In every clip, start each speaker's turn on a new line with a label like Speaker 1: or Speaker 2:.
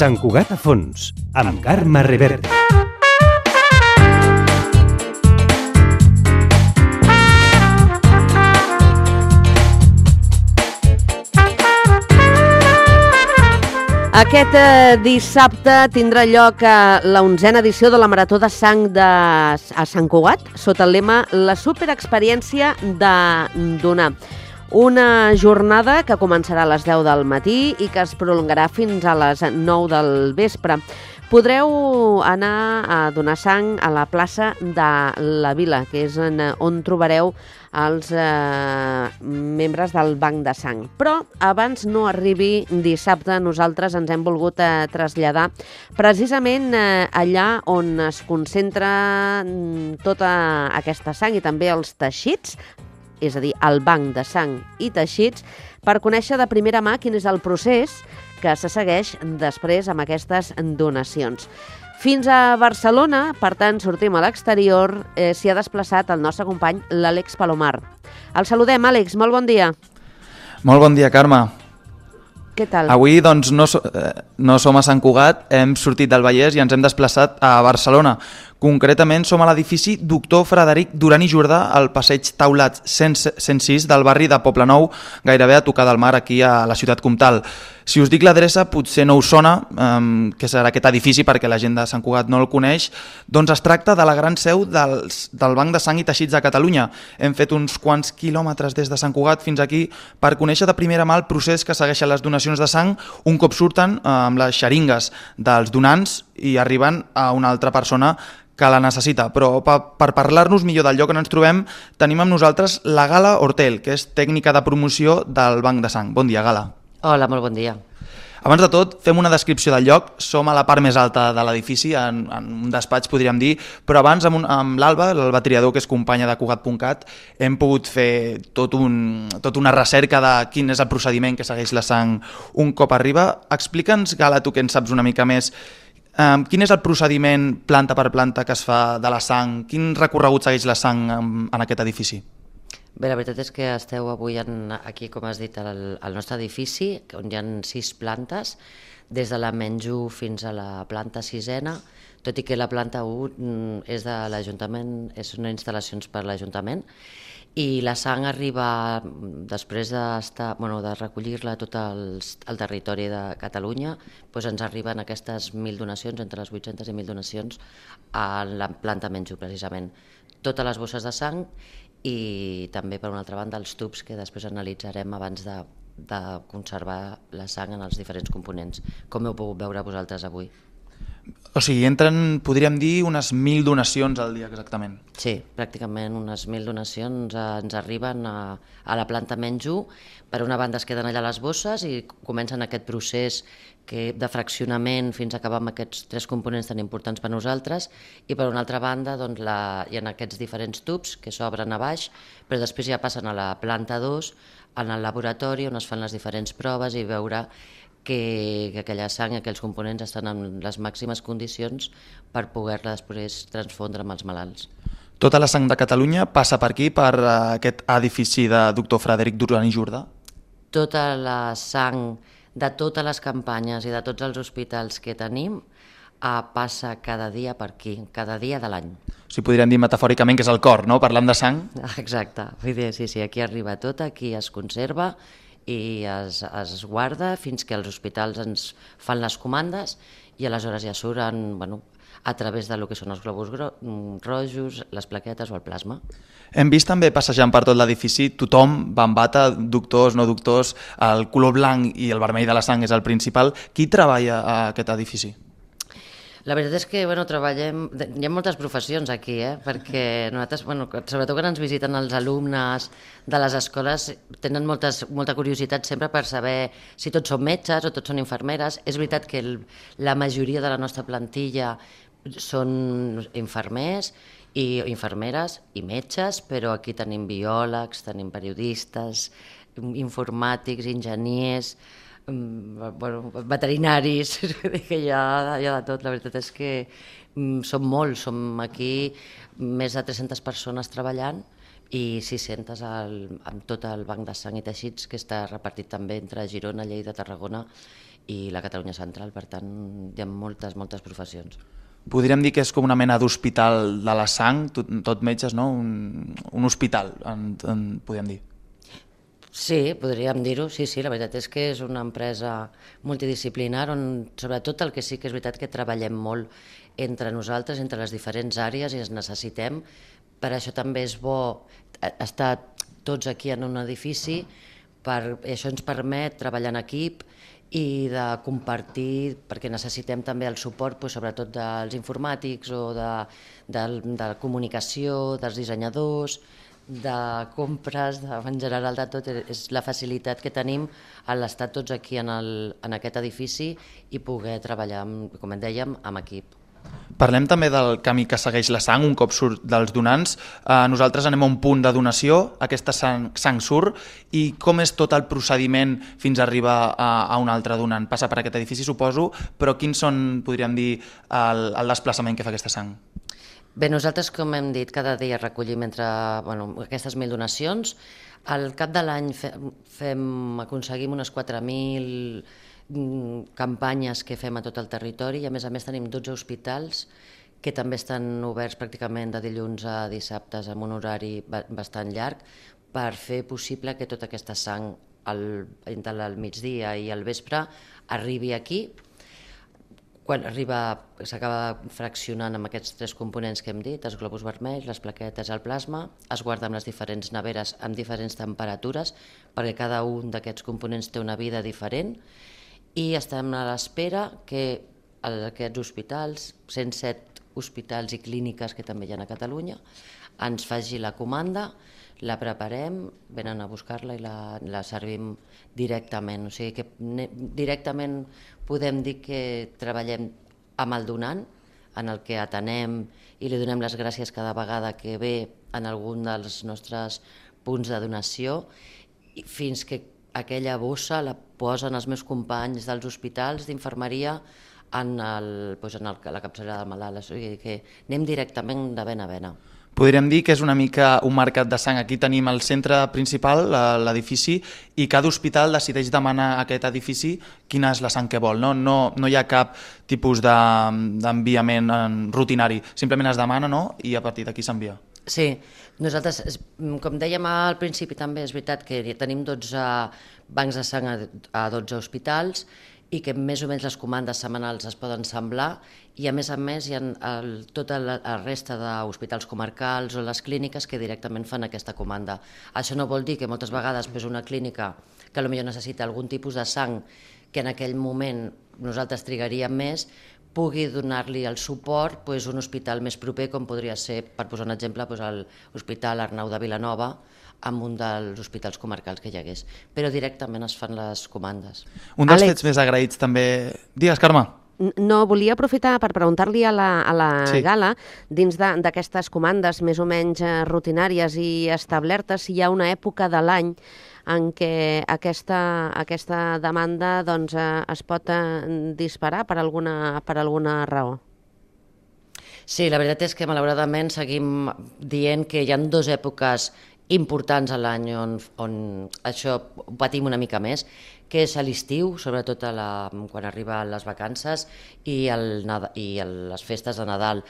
Speaker 1: Sant Cugat a fons, amb Carme Reverte.
Speaker 2: Aquest dissabte tindrà lloc la 11a edició de la Marató de Sang a Sant Cugat, sota el lema La superexperiència de donar. Una jornada que començarà a les 10 del matí i que es prolongarà fins a les 9 del vespre. Podreu anar a donar sang a la plaça de la Vila, que és on trobareu els membres del Banc de Sang. Però abans no arribi dissabte, nosaltres ens hem volgut traslladar precisament allà on es concentra tota aquesta sang i també els teixits, és a dir, el Banc de Sang i Teixits, per conèixer de primera mà quin és el procés que se segueix després amb aquestes donacions. Fins a Barcelona, per tant, sortim a l'exterior, s'hi ha desplaçat el nostre company, l'Àlex Palomar. El saludem, Àlex, molt bon dia.
Speaker 3: Molt bon dia, Carme.
Speaker 2: Què tal?
Speaker 3: Avui doncs, no som a Sant Cugat, hem sortit del Vallès i ens hem desplaçat a Barcelona. Concretament som a l'edifici Doctor Frederic Duran i Jordà, al passeig Taulat 106 del barri de Poblenou, gairebé a tocar del mar, aquí a la ciutat comtal. Si us dic l'adreça, potser no us sona, que serà aquest edifici perquè la gent de Sant Cugat no el coneix, doncs es tracta de la gran seu del Banc de Sang i Teixits de Catalunya. Hem fet uns quants quilòmetres des de Sant Cugat fins aquí per conèixer de primera mà el procés que segueixen les donacions de sang un cop surten amb les xeringues dels donants i arriben a una altra persona que la necessita. Però per parlar-nos millor del lloc on ens trobem, tenim amb nosaltres la Gala Hortel, que és tècnica de promoció del Banc de Sang. Bon dia, Gala.
Speaker 4: Hola, molt bon dia.
Speaker 3: Abans de tot, fem una descripció del lloc. Som a la part més alta de l'edifici, en un despatx podríem dir, però abans amb l'Alba Triador, que és companya de Cugat.cat, hem pogut fer tota una recerca de quin és el procediment que segueix la sang un cop arriba. Explica'ns, Gala, tu que en saps una mica més, quin és el procediment planta per planta que es fa de la sang? Quin recorregut segueix la sang en aquest edifici?
Speaker 4: Bé, la veritat és que esteu avui aquí, com has dit, al nostre edifici, on hi ha 6 plantes, des de la menys 1 fins a la planta 6ena, tot i que la planta 1 és de l'Ajuntament, és una instal·lacions per l'Ajuntament, i la sang arriba, després de recollir-la tot el territori de Catalunya, doncs ens arriben aquestes 1.000 donacions, entre les 800 i 1.000 donacions, a la planta menys 1, precisament. Totes les bosses de sang i també, per una altra banda, els tubs que després analitzarem abans de conservar la sang en els diferents components, com heu pogut veure vosaltres avui.
Speaker 3: O sigui, entren, podríem dir, unes 1.000 donacions al dia exactament.
Speaker 4: Sí, pràcticament unes 1.000 donacions ens arriben a la planta menys 1. Per una banda es queden allà les bosses i comencen aquest procés de fraccionament fins a acabar amb aquests 3 components tan importants per nosaltres, i per una altra banda doncs, hi ha aquests diferents tubs que s'obren a baix, però després ja passen a la planta 2, en el laboratori on es fan les diferents proves i veure que aquella sang i aquells components estan en les màximes condicions per poder-la després transfondre amb els malalts.
Speaker 3: Tota la sang de Catalunya passa per aquí, per aquest edifici de Doctor Frederic Duran i Jordà?
Speaker 4: Tota la sang de totes les campanyes i de tots els hospitals que tenim passa cada dia per aquí, cada dia de l'any.
Speaker 3: O sigui, podríem dir metafòricament que és el cor, no?, parlant de sang.
Speaker 4: Exacte, sí, aquí arriba tot, aquí es conserva i es guarda fins que els hospitals ens fan les comandes i aleshores ja surten a través del que són els globus rojos, les plaquetes o el plasma.
Speaker 3: Hem vist també passejant per tot l'edifici tothom va amb bata, doctors, no doctors, el color blanc i el vermell de la sang és el principal. Qui treballa a aquest edifici?
Speaker 4: La veritat és que treballem... Hi ha moltes professions aquí, perquè nosaltres, sobretot quan ens visiten els alumnes de les escoles, tenen molta curiositat sempre per saber si tots són metges o tots són infermeres. És veritat que la majoria de la nostra plantilla són infermers i infermeres i metges, però aquí tenim biòlegs, tenim periodistes, informàtics, enginyers, veterinaris, que hi ha de tot. La veritat és que som molts, som aquí més de 300 persones treballant i 600 amb tot el banc de sang i teixits que està repartit també entre Girona, Lleida, Tarragona i la Catalunya central. Per tant, hi ha moltes professions.
Speaker 3: Podríem dir que és com una mena d'hospital de la sang, tot metges, no? Un hospital, podríem dir.
Speaker 4: Sí, podríem dir-ho, sí, la veritat és que és una empresa multidisciplinar on sobretot el que sí que és veritat que treballem molt entre nosaltres, entre les diferents àrees i ens necessitem. Per això també és bo estar tots aquí en un edifici, això ens permet treballar en equip i de compartir, perquè necessitem també el suport sobretot dels informàtics o de comunicació, dels dissenyadors, de compres, en general de tot. És la facilitat que tenim a l'estar tots aquí en aquest edifici i poder treballar, com en dèiem, amb equip.
Speaker 3: Parlem també del camí que segueix la sang un cop surt dels donants. Nosaltres anem a un punt de donació, aquesta sang surt, i com és tot el procediment fins a arribar a un altre donant? Passa per aquest edifici, suposo, però quins són, podríem dir, el desplaçament que fa aquesta sang?
Speaker 4: Bé, nosaltres, com hem dit, cada dia recollim aquestes 1.000 donacions. Al cap de l'any aconseguim unes 4.000 campanyes que fem a tot el territori i a més tenim 12 hospitals que també estan oberts pràcticament de dilluns a dissabtes amb un horari bastant llarg per fer possible que tota aquesta sang entre el migdia i el vespre arribi aquí. Quan s'acaba fraccionant amb aquests 3 components que hem dit, els globus vermells, les plaquetes, el plasma, es guarda en les diferents neveres amb diferents temperatures perquè cada un d'aquests components té una vida diferent i estem a l'espera que aquests hospitals, 107 hospitals i clíniques que també hi ha a Catalunya, ens faci la comanda, la preparem, venen a buscar-la i la servim directament. O sigui que directament podem dir que treballem amb el donant, en el que atenem i li donem les gràcies cada vegada que ve en algun dels nostres punts de donació, fins que aquella bossa la posen els meus companys dels hospitals d'infermeria en la capçalera del malalt. O sigui que anem directament de vena a vena.
Speaker 3: Podríem dir que és una mica un mercat de sang. Aquí tenim el centre principal, l'edifici, i cada hospital decideix demanar a aquest edifici quina és la sang que vol. No hi ha cap tipus d'enviament rutinari. Simplement es demana i a partir d'aquí s'envia.
Speaker 4: Sí, nosaltres, com dèiem al principi també, és veritat que tenim 12 bancs de sang a 12 hospitals i que més o menys les comandes setmanals es poden semblar i a més hi ha tota la resta d'hospitals comarcals o les clíniques que directament fan aquesta comanda. Això no vol dir que moltes vegades una clínica que potser necessita algun tipus de sang que en aquell moment nosaltres trigaríem més, pugui donar-li el suport un hospital més proper, com podria ser, per posar un exemple, l'Hospital Arnau de Vilanova, amb un dels hospitals comarcals que hi hagués. Però directament es fan les comandes.
Speaker 3: Un dels fets més agraïts també... Digues, Carme.
Speaker 2: No, volia aprofitar per preguntar-li a la Gala, dins d'aquestes comandes més o menys rutinàries i establertes, si hi ha una època de l'any en què aquesta demanda es pot disparar per alguna raó.
Speaker 4: Sí, la veritat és que malauradament seguim dient que hi ha 2 èpoques importants a l'any on això ho patim una mica més, que és a l'estiu, sobretot quan arriben les vacances i les festes de Nadal,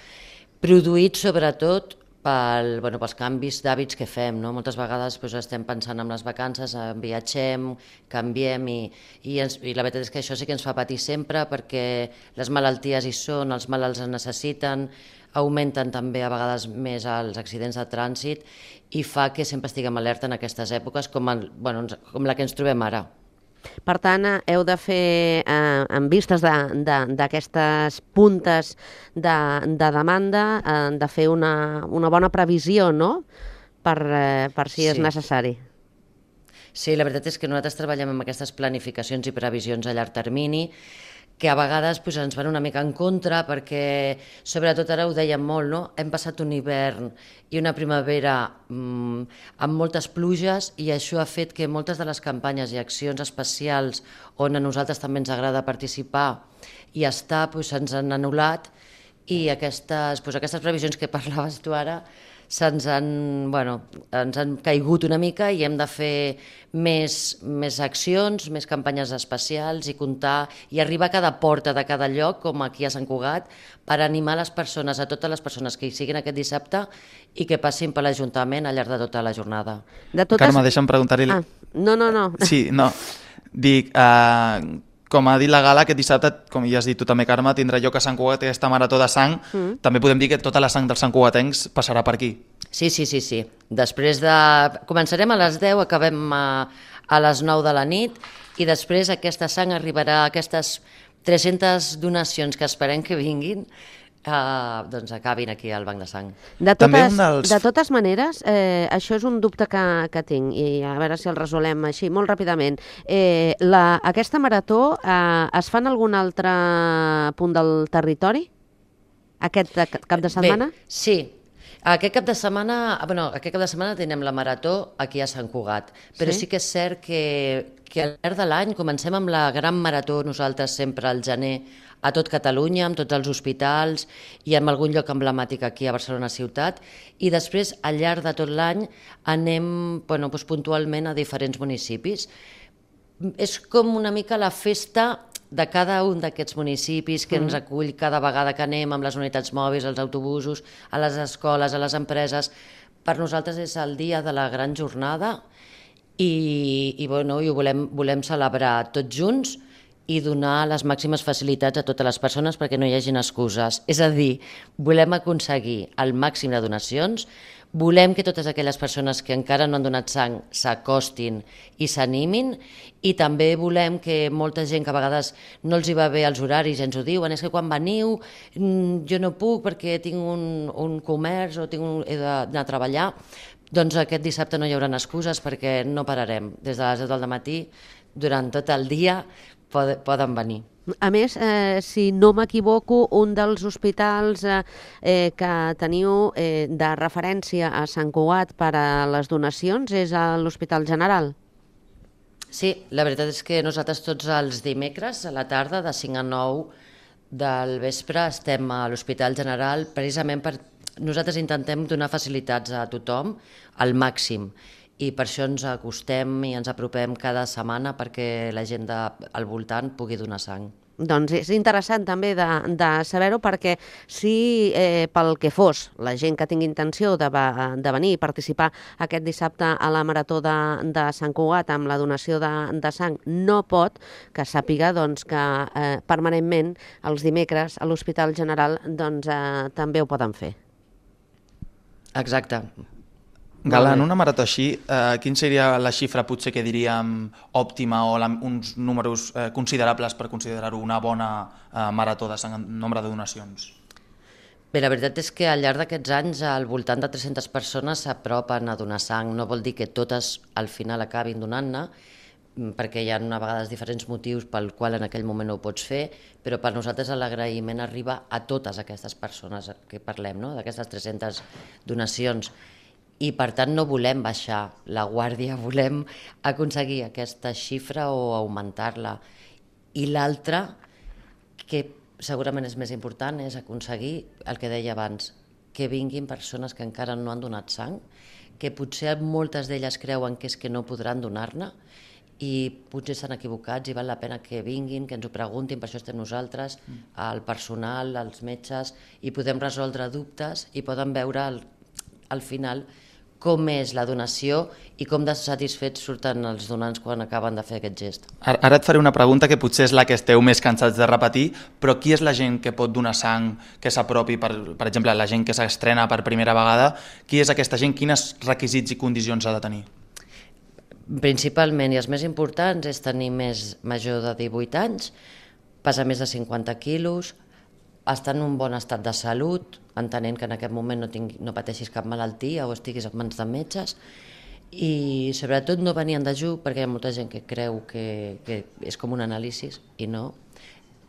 Speaker 4: produït sobretot pels canvis d'hàbits que fem. Moltes vegades estem pensant en les vacances, viatgem, canviem i la veritat és que això sí que ens fa patir sempre perquè les malalties hi són, els malalts es necessiten, augmenten també a vegades més els accidents de trànsit i fa que sempre estiguem alerta en aquestes èpoques com la que ens trobem ara.
Speaker 2: Per tant, heu de fer, en vistes d'aquestes puntes de demanda, de fer una bona previsió, no?, per si és necessari.
Speaker 4: Sí, la veritat és que nosaltres treballem amb aquestes planificacions i previsions a llarg termini, que a vegades ens van una mica en contra perquè, sobretot ara ho dèiem molt, hem passat un hivern i una primavera amb moltes pluges i això ha fet que moltes de les campanyes i accions especials on a nosaltres també ens agrada participar i estar se'ns han anul·lat i aquestes previsions que parlaves tu ara ens han caigut una mica i hem de fer més accions, més campanyes especials i comptar i arribar a cada porta de cada lloc, com aquí a Sant Cugat, per animar les persones, a totes les persones que hi siguin aquest dissabte i que passin per l'Ajuntament al llarg de tota la jornada.
Speaker 3: Carme, deixa'm preguntar-li...
Speaker 2: No.
Speaker 3: Sí, no. Dic, com ha dit la Gala, aquest dissabte, com ja has dit tu també, Carme, tindrà lloc a Sant Cugat aquesta marató de sang. També podem dir que tota la sang dels santcugatencs passarà per aquí.
Speaker 4: Sí. Després començarem a les 10, acabem a les 9 de la nit i després aquesta sang arribarà a aquestes 300 donacions que esperem que vinguin, doncs acabin aquí al Banc de Sang.
Speaker 2: De totes maneres, això és un dubte que tinc i a veure si el resolem així molt ràpidament. Aquesta marató es fa en algun altre punt del territori? Aquest cap de setmana?
Speaker 4: Bé, sí. Aquest cap de setmana tenim la marató aquí a Sant Cugat, però sí que és cert que al llarg de l'any comencem amb la gran marató nosaltres sempre al gener a tot Catalunya, amb tots els hospitals i en algun lloc emblemàtic aquí a Barcelona ciutat, i després al llarg de tot l'any anem puntualment a diferents municipis. És com una mica la festa de cada un d'aquests municipis que ens acull cada vegada que anem amb les unitats mòbils, els autobusos, a les escoles, a les empreses. Per nosaltres és el dia de la gran jornada i ho volem celebrar tots junts i donar les màximes facilitats a totes les persones perquè no hi hagin excuses. És a dir, volem aconseguir el màxim de donacions, volem que totes aquelles persones que encara no han donat sang s'acostin i s'animin, i també volem que molta gent que a vegades no els hi va bé els horaris i ens ho diuen, és que quan veniu jo no puc perquè tinc un comerç o he d'anar a treballar, doncs aquest dissabte no hi haurà excuses perquè no pararem. Des de les 10 del matí, durant tot el dia, poden venir.
Speaker 2: A més, si no m'equivoco, un dels hospitals que teniu de referència a Sant Cugat per a les donacions és l'Hospital General.
Speaker 4: Sí, la veritat és que nosaltres tots els dimecres a la tarda, de 5 a 9 del vespre, estem a l'Hospital General precisament per... Nosaltres intentem donar facilitats a tothom al màxim, i per això ens acostem i ens apropem cada setmana perquè la gent al voltant pugui donar sang.
Speaker 2: Doncs és interessant també de saber-ho, perquè si pel que fos la gent que tingui intenció de venir i participar aquest dissabte a la marató de Sant Cugat amb la donació de sang no pot, que sàpiga que permanentment els dimecres a l'Hospital General també ho poden fer.
Speaker 4: Exacte.
Speaker 3: Gala, en una marató així, quin seria la xifra potser que diríem òptima o uns números considerables per considerar-ho una bona marató de sang en nombre de donacions?
Speaker 4: Bé, la veritat és que al llarg d'aquests anys al voltant de 300 persones s'apropen a donar sang. No vol dir que totes al final acabin donant-ne, perquè hi ha a vegades diferents motius pel qual en aquell moment no ho pots fer, però per nosaltres l'agraïment arriba a totes aquestes persones que parlem, no? D'aquestes 300 donacions. I per tant no volem baixar la guàrdia, volem aconseguir aquesta xifra o augmentar-la. I l'altra, que segurament és més important, és aconseguir el que deia abans, que vinguin persones que encara no han donat sang, que potser moltes d'elles creuen que és que no podran donar-ne i potser s'han equivocats i val la pena que vinguin, que ens ho preguntin, per això estem nosaltres, el personal, els metges, i podem resoldre dubtes i poden veure al final com és la donació i com de satisfets surten els donants quan acaben de fer aquest gest.
Speaker 3: Ara et faré una pregunta que potser és la que esteu més cansats de repetir, però qui és la gent que pot donar sang, que s'apropi, per exemple, la gent que s'estrena per primera vegada, qui és aquesta gent, quins requisits i condicions ha de tenir?
Speaker 4: Principalment, i els més importants, és tenir més major de 18 anys, pesar més de 50 quilos, estar en un bon estat de salut, entenent que en aquest moment no pateixis cap malaltia o estiguis en mans de metges, i sobretot no venir en dejú, perquè hi ha molta gent que creu que és com un anàlisi i no,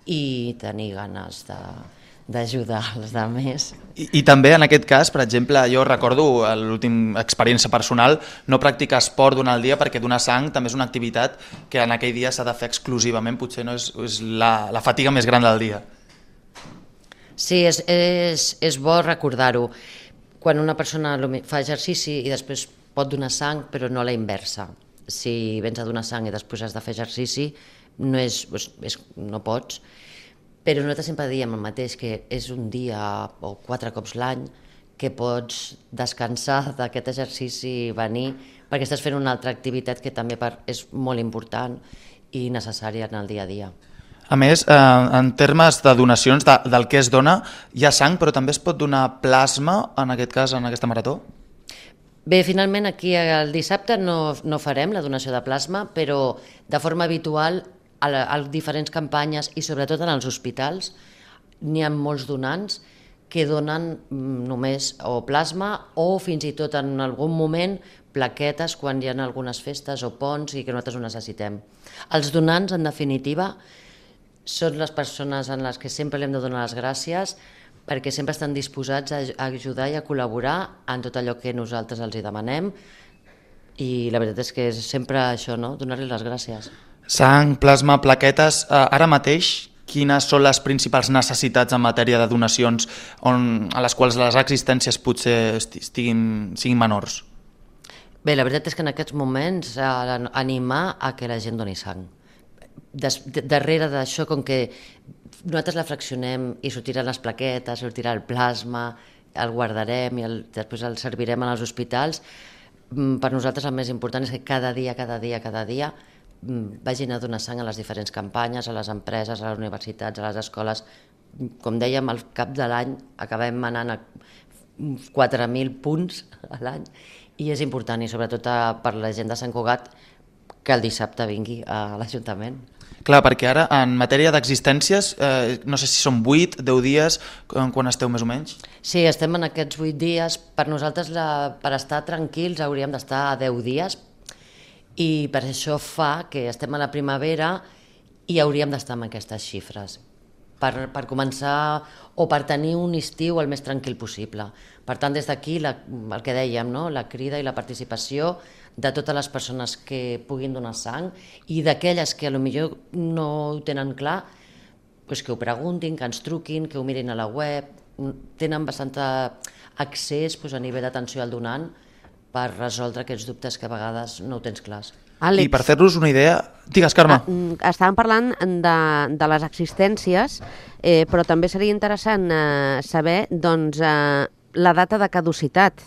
Speaker 4: i tenir ganes d'ajudar els altres.
Speaker 3: I també en aquest cas, per exemple, jo recordo l'última experiència personal, no practicar esport durant el dia perquè donar sang també és una activitat que en aquell dia s'ha de fer exclusivament, potser no és la fatiga més gran del dia.
Speaker 4: Sí, és bo recordar-ho. quan una persona fa exercici i després pot donar sang, però no a la inversa. Si vens a donar sang i després has de fer exercici, no pots. Però nosaltres sempre diem el mateix, que és un dia o 4 cops l'any que pots descansar d'aquest exercici i venir, perquè estàs fent una altra activitat que també és molt important i necessària en el dia a dia.
Speaker 3: A més, en termes de donacions, del que es dona, hi ha sang, però també es pot donar plasma, en aquest cas, en aquesta marató?
Speaker 4: Bé, finalment aquí el dissabte no farem la donació de plasma, però de forma habitual a diferents campanyes i sobretot en els hospitals n'hi ha molts donants que donen només o plasma o fins i tot en algun moment plaquetes quan hi ha algunes festes o ponts i que nosaltres ho necessitem. Els donants, en definitiva, són les persones en les que sempre li hem de donar les gràcies perquè sempre estan disposats a ajudar i a col·laborar en tot allò que nosaltres els hi demanem i la veritat és que és sempre això, no? Donar-li les gràcies.
Speaker 3: Sang, plasma, plaquetes, ara mateix quines són les principals necessitats en matèria de donacions a les quals les existències potser siguin menors?
Speaker 4: Bé, la veritat és que en aquests moments animar a que la gent doni sang. Darrere d'això, com que nosaltres la fraccionem i sortiran les plaquetes, sortirà el plasma, el guardarem i després el servirem als hospitals, per nosaltres el més important és que cada dia vagin a donar sang a les diferents campanyes, a les empreses, a les universitats, a les escoles. Com dèiem, al cap de l'any acabem anant a 4.000 punts a l'any i és important, i sobretot per la gent de Sant Cugat, que el dissabte vingui a l'Ajuntament.
Speaker 3: Clar, perquè ara, en matèria d'existències, no sé si són 8, 10 dies, quan esteu més o menys?
Speaker 4: Sí, estem en aquests 8 dies. Per nosaltres, per estar tranquils, hauríem d'estar a 10 dies i per això fa que estem a la primavera i hauríem d'estar amb aquestes xifres per començar o per tenir un estiu el més tranquil possible. Per tant, des d'aquí, el que dèiem, no? La crida i la participació de totes les persones que puguin donar sang i d'aquelles que potser no ho tenen clar, doncs que ho preguntin, que ens truquin, que ho mirin a la web. Tenen bastant accés a nivell d'atenció al donant per resoldre aquests dubtes que a vegades no ho tens clars.
Speaker 2: Àlex,
Speaker 3: I per fer-nos una idea... Digues, Carme.
Speaker 2: Estàvem parlant de les existències, però també seria interessant saber la data de caducitat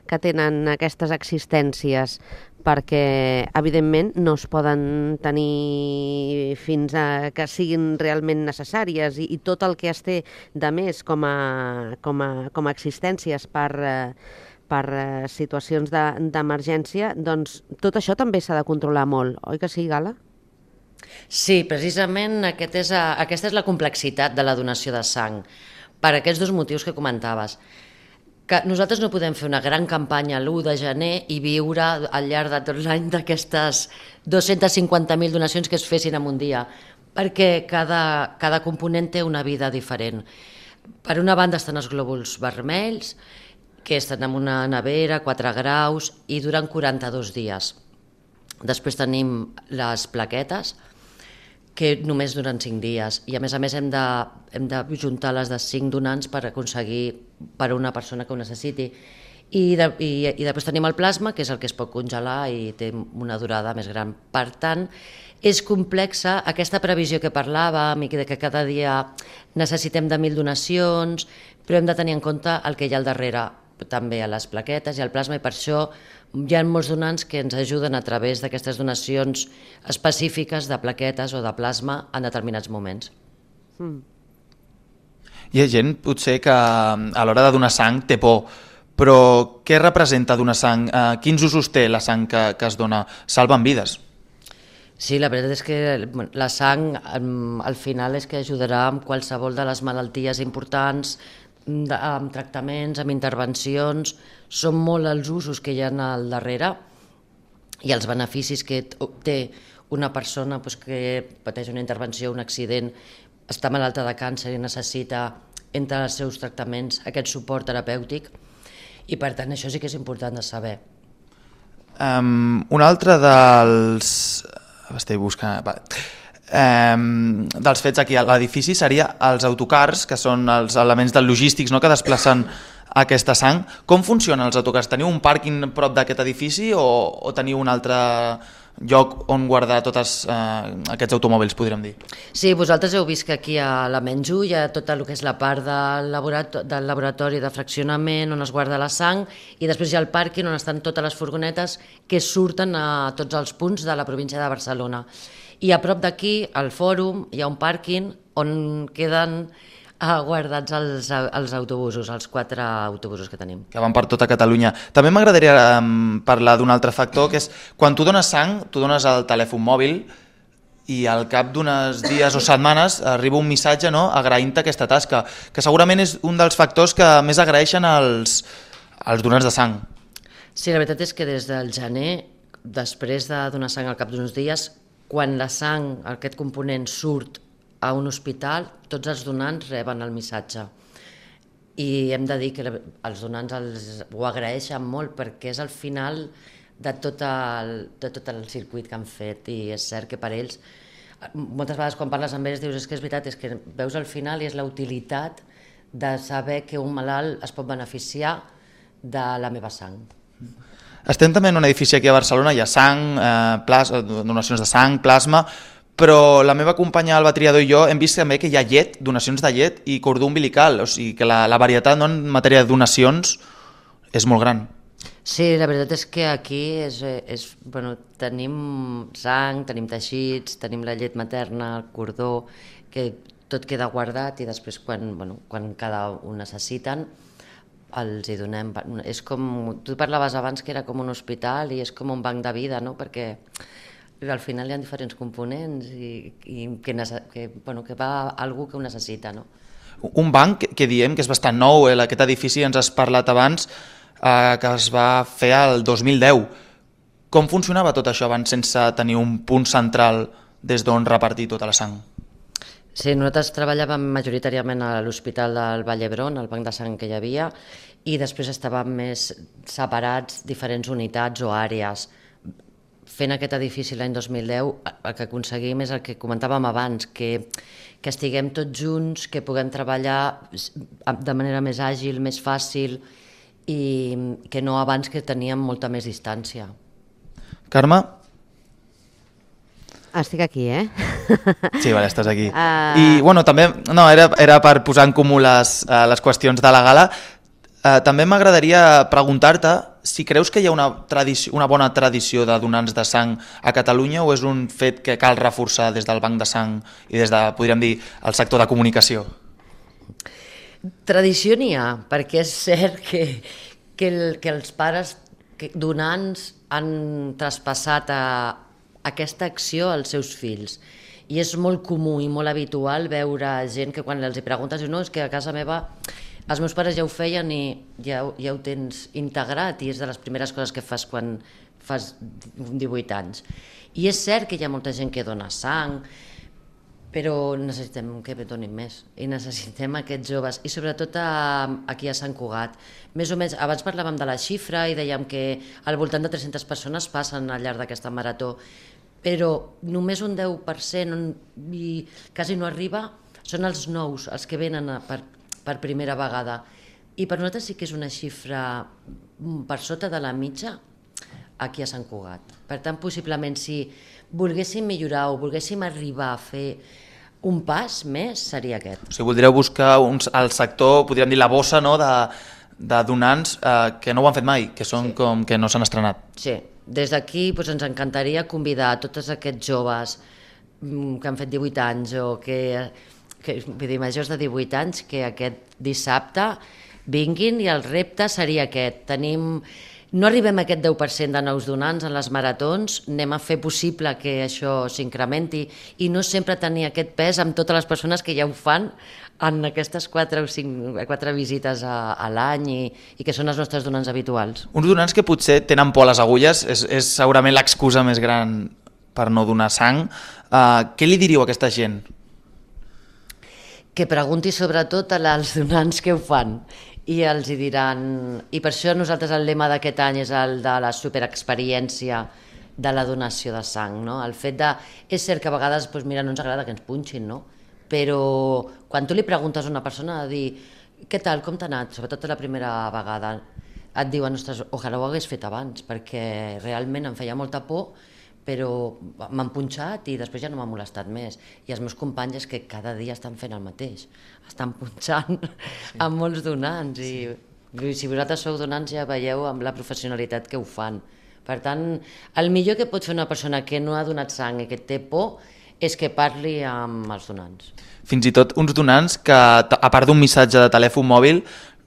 Speaker 2: que tenen aquestes existències, perquè evidentment no es poden tenir fins a que siguin realment necessàries i tot el que es té de més com a existències per situacions d'emergència, doncs tot això també s'ha de controlar molt, oi que sí, Gala?
Speaker 4: Sí, precisament aquesta és la complexitat de la donació de sang, per aquests dos motius que comentaves. Que nosaltres no podem fer una gran campanya l'1 de gener i viure al llarg de tot l'any d'aquestes 250.000 donacions que es fessin en un dia, perquè cada component té una vida diferent. Per una banda estan els glòbuls vermells, que estan en una nevera, 4 graus, i duren 42 dies. Després tenim les plaquetes, que només duren 5 dies, i a més hem de juntar les de 5 donants per aconseguir per una persona que ho necessiti. I després tenim el plasma, que és el que es pot congelar i té una durada més gran. Per tant, és complexa aquesta previsió que parlàvem i que cada dia necessitem de 1.000 donacions, però hem de tenir en compte el que hi ha al darrere, també a les plaquetes i al plasma, i per això hi ha molts donants que ens ajuden a través d'aquestes donacions específiques de plaquetes o de plasma en determinats moments.
Speaker 3: Hi ha gent, potser, que a l'hora de donar sang té por, però què representa donar sang? Quins usos té la sang que es dona? Salven vides.
Speaker 4: Sí, la veritat és que la sang al final és que ajudarà amb qualsevol de les malalties importants, amb tractaments, amb intervencions. Són molt els usos que hi ha al darrere i els beneficis que té una persona que pateix una intervenció, un accident, està malalta de càncer i necessita, entre els seus tractaments, aquest suport terapèutic, i per tant això sí que és important de saber.
Speaker 3: Un altre dels... Estic buscant... dels fets aquí a l'edifici seria els autocars, que són els elements del logístics, no?, que desplacen aquesta sang. Com funcionen els autocars? Teniu un pàrquing prop d'aquest edifici o teniu un altre lloc on guardar tots aquests automòbils, podríem dir?
Speaker 4: Sí, vosaltres heu vist que aquí a la Menjú hi ha tot el que és la part del laboratori de fraccionament on es guarda la sang, i després hi ha el pàrquing on estan totes les furgonetes que surten a tots els punts de la província de Barcelona. I a prop d'aquí, al fòrum, hi ha un pàrquing on queden guardats els autobusos, els 4 autobusos que tenim.
Speaker 3: Que van per tota Catalunya. També m'agradaria parlar d'un altre factor, que és quan tu dones sang, tu dones el telèfon mòbil i al cap d'uns dies o setmanes arriba un missatge, no?, agraint-te aquesta tasca, que segurament és un dels factors que més agraeixen els donants de sang.
Speaker 4: Sí, la veritat és que des del gener, després de donar sang al cap d'uns dies, quan la sang, aquest component, surt a un hospital, tots els donants reben el missatge. I hem de dir que els donants ho agraeixen molt perquè és el final de tot el circuit que han fet, i és cert que per ells, moltes vegades quan parles amb ells dius és que és veritat, és que veus el final i és la utilitat de saber que un malalt es pot beneficiar de la meva sang.
Speaker 3: Estem també en un edifici aquí a Barcelona, hi ha sang, donacions de sang, plasma, però la meva companya Alba Triador i jo hem vist també que hi ha llet, donacions de llet i cordó umbilical, o sigui que la varietat, no, en matèria de donacions és molt gran.
Speaker 4: Sí, la veritat és que aquí tenim sang, tenim teixits, tenim la llet materna, el cordó, que tot queda guardat i després quan cada un necessiten els hi donem. És com, tu parlaves abans que era com un hospital i és com un banc de vida, no?, perquè al final hi ha diferents components i que va a algú que ho necessita, no?
Speaker 3: Un banc que diem que és bastant nou, aquest edifici ens has parlat abans, que es va fer el 2010. Com funcionava tot això abans sense tenir un punt central des d'on repartir tota la sang?
Speaker 4: Sí, nosaltres treballàvem majoritàriament a l'Hospital del Vall d'Hebron, el banc de sang que hi havia, i després estàvem més separats, diferents unitats o àrees. Fent aquest edifici l'any 2010, el que aconseguim és el que comentàvem abans, que estiguem tots junts, que puguem treballar de manera més àgil, més fàcil, i que no abans, que teníem molta més distància.
Speaker 3: Carme?
Speaker 2: Estic aquí, eh?
Speaker 3: Sí, vale, estàs aquí. I també, era per posar en comú les qüestions de la gala. També m'agradaria preguntar-te si creus que hi ha una bona tradició de donants de sang a Catalunya o és un fet que cal reforçar des del banc de sang i des de, podríem dir, el sector de comunicació?
Speaker 4: Tradició n'hi ha, perquè és cert que els pares donants han traspassat aquesta acció als seus fills. I és molt comú i molt habitual veure gent que quan els preguntes diu, no, és que a casa meva els meus pares ja ho feien i ja ho tens integrat i és de les primeres coses que fas quan fas 18 anys. I és cert que hi ha molta gent que dona sang, però necessitem que donin més i necessitem aquests joves i sobretot aquí a Sant Cugat. Més o menys, abans parlàvem de la xifra i dèiem que al voltant de 300 persones passen al llarg d'aquesta marató, però només un 10% i quasi no arriba són els nous, els que venen per primera vegada. I per nosaltres sí que és una xifra per sota de la mitja aquí a Sant Cugat. Per tant, possiblement, si volguéssim millorar o volguéssim arribar a fer un pas més, seria aquest.
Speaker 3: O sigui, voldríeu buscar al sector, podríem dir, la bossa, no?, de donants que no ho han fet mai, que són com que no s'han estrenat.
Speaker 4: Sí, des d'aquí ens encantaria convidar a tots aquests joves que han fet 18 anys o vull dir, majors de 18 anys, que aquest dissabte vinguin i el repte seria aquest. No arribem a aquest 10% de nous donants en les maratons, anem a fer possible que això s'incrementi i no sempre tenir aquest pes amb totes les persones que ja ho fan en aquestes 4 o 4 visites a l'any i que són els nostres donants habituals.
Speaker 3: Uns donants que potser tenen por a les agulles, és segurament l'excusa més gran per no donar sang. Què li diríeu a aquesta gent?
Speaker 4: Que pregunti sobretot als donants que ho fan i els hi diran, i per això nosaltres el lema d'aquest any és el de la superexperiència, de la donació de sang, no? El fet de... És cert que a vegades, doncs, mira, no ens agrada que ens punxin, no? Però quan tu li preguntes a una persona de dir què tal, com t'ha anat, sobretot la primera vegada, et diuen, ostres, ojalà ho hagués fet abans, perquè realment em feia molta por, però m'han punxat i després ja no m'ha molestat més. I els meus companys és que cada dia estan fent el mateix, estan punxant amb molts donants i si vosaltres sou donants ja veieu amb la professionalitat que ho fan. Per tant, el millor que pot fer una persona que no ha donat sang i que té por és que parli amb els donants.
Speaker 3: Fins i tot uns donants que, a part d'un missatge de telèfon mòbil,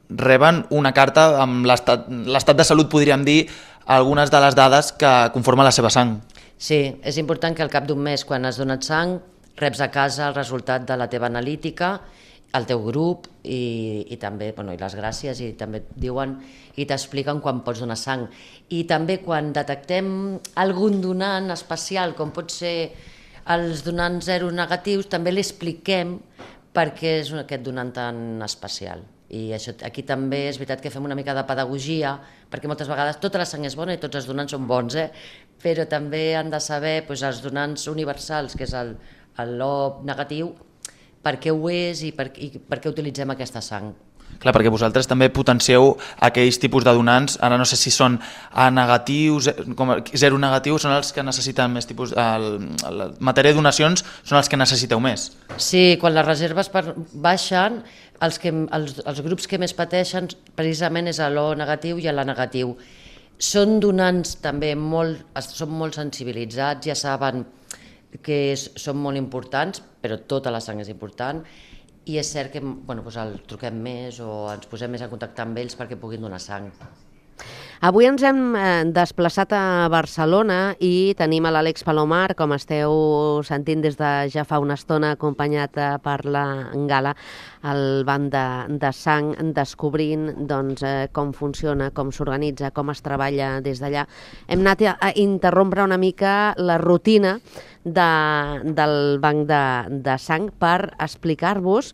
Speaker 3: reben una carta amb l'estat de salut, podríem dir, algunes de les dades que conformen la seva sang.
Speaker 4: Sí, és important que al cap d'un mes, quan has donat sang, reps a casa el resultat de la teva analítica, el teu grup i també, bueno, i les gràcies, i també et diuen i t'expliquen quan pots donar sang. I també quan detectem algun donant especial, com pot ser els donants zero negatius, també li expliquem per què és aquest donant tan especial. I això, aquí també és veritat que fem una mica de pedagogia, perquè moltes vegades tota la sang és bona i tots els donants són bons, però també han de saber els donants universals, que és l'O negatiu, per què ho és i per què utilitzem aquesta sang.
Speaker 3: Clar, perquè vosaltres també potencieu aquells tipus de donants, ara no sé si són A negatius, zero negatius, són els que necessiten més tipus... En matèria de donacions són els que necessiteu més.
Speaker 4: Sí, quan les reserves baixen, els grups que més pateixen precisament és l'O negatiu i l'A negatiu. Són donants també són molt sensibilitzats, ja saben que són molt importants, però tota la sang és important, i és cert que el truquem més o ens posem més en contacte amb ells perquè puguin donar sang.
Speaker 2: Avui ens hem desplaçat a Barcelona i tenim a l'Àlex Palomar, com esteu sentint des de ja fa una estona, acompanyat per la Gala, al banc de sang, descobrint com funciona, com s'organitza, com es treballa des d'allà. Hem anat a interrompre una mica la rutina del banc de sang per explicar-vos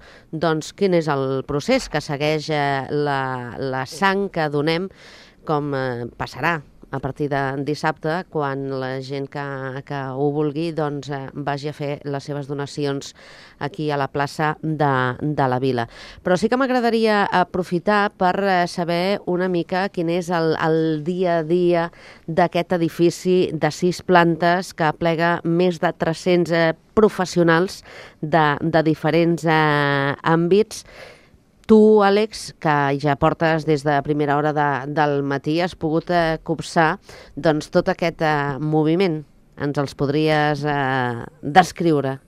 Speaker 2: quin és el procés que segueix la sang que donem, com passarà a partir de dissabte, quan la gent que ho vulgui vagi a fer les seves donacions aquí a la plaça de la Vila. Però sí que m'agradaria aprofitar per saber una mica quin és el dia a dia d'aquest edifici de 6 plantes que aplega més de 300 professionals de diferents àmbits. Tu, Àlex, que ja portes des de primera hora del matí, has pogut copsar tot aquest moviment. Ens els podries descriure?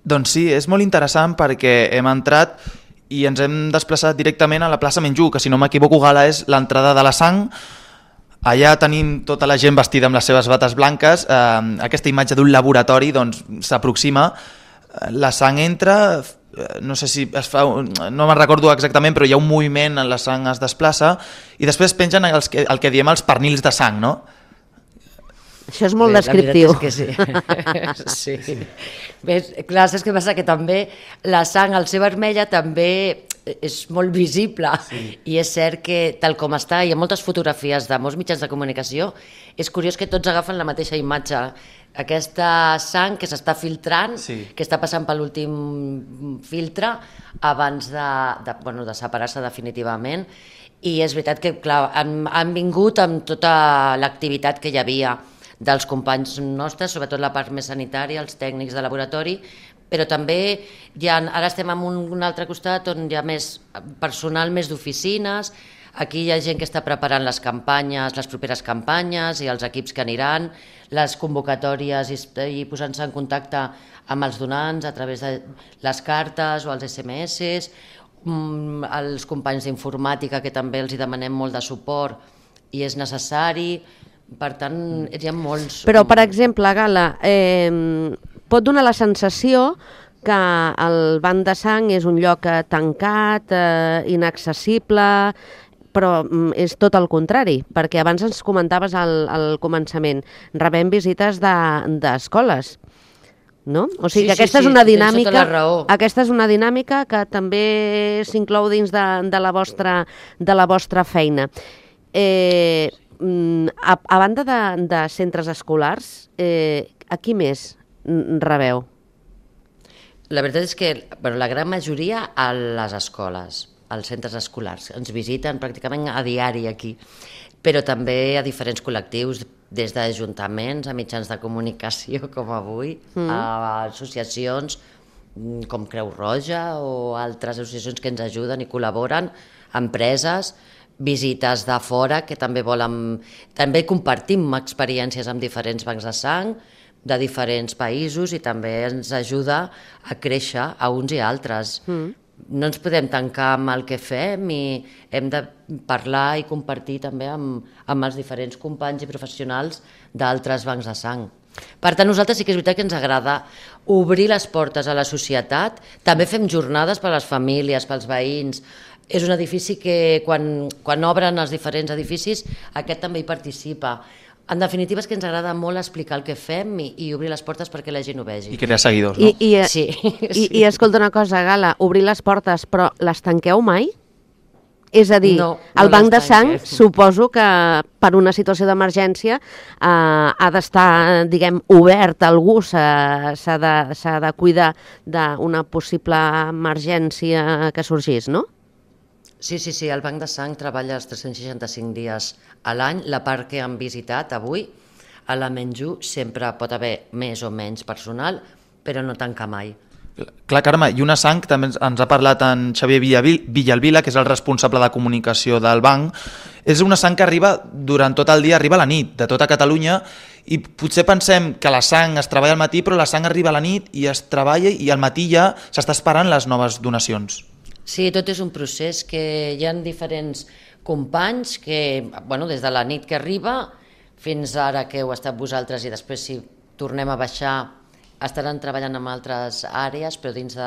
Speaker 3: Doncs sí, és molt interessant perquè hem entrat i ens hem desplaçat directament a la plaça Menjú, que si no m'equivoco, Gala, és l'entrada de la sang. Allà tenim tota la gent vestida amb les seves bates blanques. Aquesta imatge d'un laboratori s'aproxima. La sang entra... no sé si es fa, no me'n recordo exactament, però hi ha un moviment, la sang es desplaça i després pengen el que diem els pernils de sang, no?
Speaker 2: Això és molt descriptiu.
Speaker 4: La veritat és que sí. Sí. Ves, clar, saps què passa? Que també la sang, al ser vermella, també és molt visible, i és cert que tal com està, hi ha moltes fotografies de molts mitjans de comunicació, és curiós que tots agafen la mateixa imatge. Aquesta sang que s'està filtrant, que està passant per l'últim filtre abans de separar-se definitivament, i és veritat que clar, han vingut amb tota l'activitat que hi havia dels companys nostres, sobretot la part més sanitària, els tècnics de laboratori, però també ara estem en un altre costat on hi ha més personal, més d'oficines. Aquí hi ha gent que està preparant les campanyes, les properes campanyes i els equips que aniran, les convocatòries i posant-se en contacte amb els donants a través de les cartes o els SMS, els companys d'informàtica que també els demanem molt de suport i és necessari, per tant hi ha molts...
Speaker 2: Però, per exemple, Gala, pot donar la sensació que el banc de sang és un lloc tancat, inaccessible, però és tot el contrari, perquè abans ens comentaves al començament, rebem visites d'escoles, no? O sigui que aquesta és una dinàmica, aquesta és una dinàmica que també s'inclou dins de la vostra feina. A banda de centres escolars, a qui més rebeu?
Speaker 4: La veritat és que la gran majoria a les escoles, als centres escolars. Ens visiten pràcticament a diari aquí, però també a diferents col·lectius, des d'ajuntaments a mitjans de comunicació com avui, a associacions com Creu Roja o altres associacions que ens ajuden i col·laboren, empreses, visites de fora que també volen... També compartim experiències amb diferents bancs de sang de diferents països i també ens ajuda a créixer a uns i altres. No ens podem tancar amb el que fem i hem de parlar i compartir també amb els diferents companys i professionals d'altres bancs de sang. Per tant, nosaltres sí que és veritat que ens agrada obrir les portes a la societat. També fem jornades per a les famílies, pels veïns. És un edifici que quan obren els diferents edificis aquest també hi participa. En definitiva és que ens agrada molt explicar el que fem i obrir les portes perquè la gent ho vegi.
Speaker 3: I crear seguidors, no?
Speaker 4: Sí.
Speaker 2: I escolta una cosa, Gala, obrir les portes, però les tanqueu mai? És a dir, el banc de sang, suposo que per una situació d'emergència ha d'estar, diguem, obert, algú s'ha de cuidar d'una possible emergència que sorgís, no?
Speaker 4: Sí, el Banc de Sang treballa els 365 dies a l'any. La part que han visitat avui, a la Menjú, sempre pot haver més o menys personal, però no tanca mai.
Speaker 3: Clar, Carme, i una sang, també ens ha parlat en Xavier Villalvila, que és el responsable de comunicació del banc. És una sang que arriba durant tot el dia, arriba a la nit, de tota Catalunya, i potser pensem que la sang es treballa al matí, però la sang arriba a la nit i es treballa i al matí ja s'està esperant les noves donacions.
Speaker 4: Sí, tot és un procés que hi ha diferents companys que, des de la nit que arriba fins ara que heu estat vosaltres i després si tornem a baixar estaran treballant en altres àrees però dins de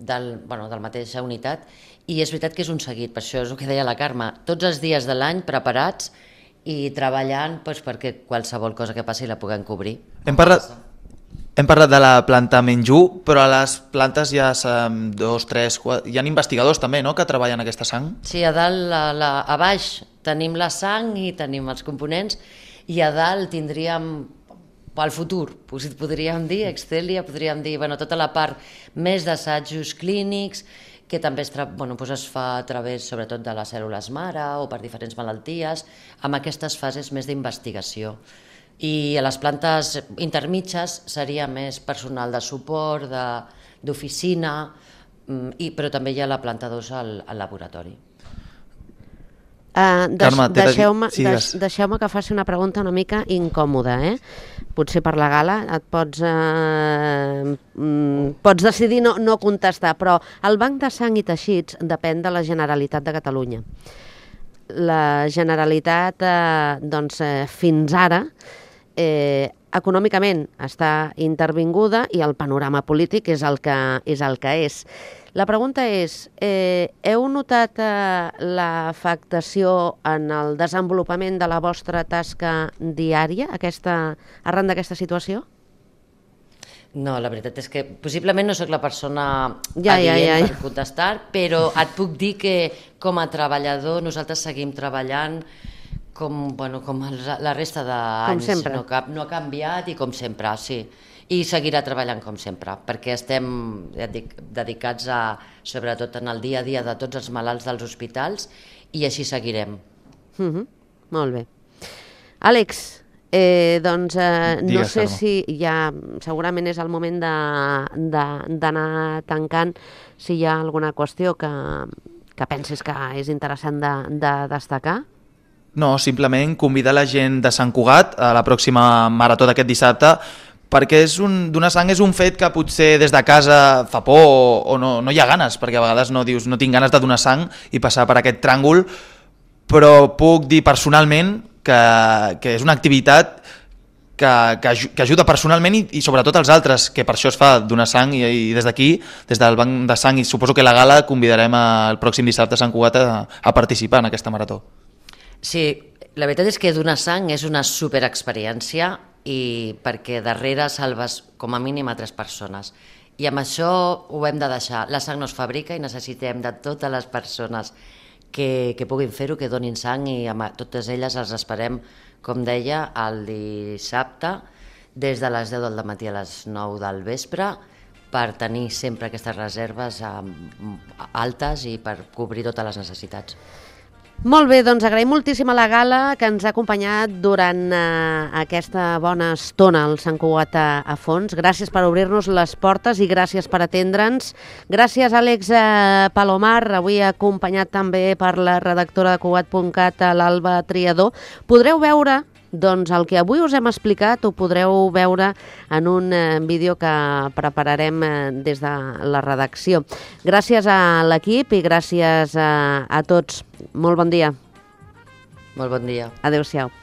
Speaker 4: la mateixa unitat i és veritat que és un seguit, per això és el que deia la Carme, tots els dies de l'any preparats i treballant perquè qualsevol cosa que passi la puguem cobrir.
Speaker 3: Hem parlat de la planta Menjú, però a les plantes hi ha 2, 3, 4... Hi ha investigadors també, no?, que treballen aquesta sang?
Speaker 4: Sí, a dalt, a baix tenim la sang i tenim els components i a dalt tindríem pel futur, podríem dir, Excelia, podríem dir, tota la part més d'assajos clínics que també es fa a través sobretot de les cèl·lules mare o per diferents malalties, amb aquestes fases més d'investigació. I a les plantes intermitges seria més personal de suport, d'oficina, però també hi ha la planta 2 al laboratori.
Speaker 2: Deixeu-me que faci una pregunta una mica incòmoda, potser per la Gala et pots decidir no contestar, però el Banc de Sang i Teixits depèn de la Generalitat de Catalunya. La Generalitat, fins ara, econòmicament està intervinguda i el panorama polític és el que és. La pregunta és, heu notat l'afectació en el desenvolupament de la vostra tasca diària arran d'aquesta situació?
Speaker 4: No, la veritat és que possiblement no sóc la persona adient per contestar, però et puc dir que com a treballador nosaltres seguim treballant com la resta d'anys, no ha canviat i com sempre, sí. I seguirà treballant com sempre, perquè estem dedicats sobretot en el dia a dia de tots els malalts dels hospitals i així seguirem.
Speaker 2: Molt bé. Àlex, no sé si ja segurament és el moment d'anar tancant, si hi ha alguna qüestió que penses que és interessant de destacar.
Speaker 3: No, simplement convidar la gent de Sant Cugat a la pròxima marató d'aquest dissabte, perquè donar sang és un fet que potser des de casa fa por o no hi ha ganes, perquè a vegades no tinc ganes de donar sang i passar per aquest tràngol, però puc dir personalment que és una activitat que ajuda personalment i sobretot als altres, que per això es fa donar sang i des d'aquí, des del Banc de Sang i suposo que la Gala, convidarem el pròxim dissabte a Sant Cugat a participar en aquesta marató.
Speaker 4: Sí, la veritat és que donar sang és una superexperiència i perquè darrere salves com a mínim a 3 persones. I amb això ho hem de deixar. La sang no es fabrica i necessitem de totes les persones que puguin fer-ho, que donin sang, i a totes elles les esperem, com deia, el dissabte, des de les 10 del matí a les 9 del vespre, per tenir sempre aquestes reserves altes i per cobrir totes les necessitats.
Speaker 2: Molt bé, doncs agraïm moltíssim a la Gala que ens ha acompanyat durant aquesta bona estona al Sant Cugat a fons. Gràcies per obrir-nos les portes i gràcies per atendre'ns. Gràcies, Àlex Palomar, avui acompanyat també per la redactora de Cugat.cat, l'Alba Triador. Podreu veure doncs el que avui us hem explicat, ho podreu veure en un vídeo que prepararem des de la redacció. Gràcies a l'equip i gràcies a tots. Molt bon dia.
Speaker 4: Molt bon dia.
Speaker 2: Adéu-siau.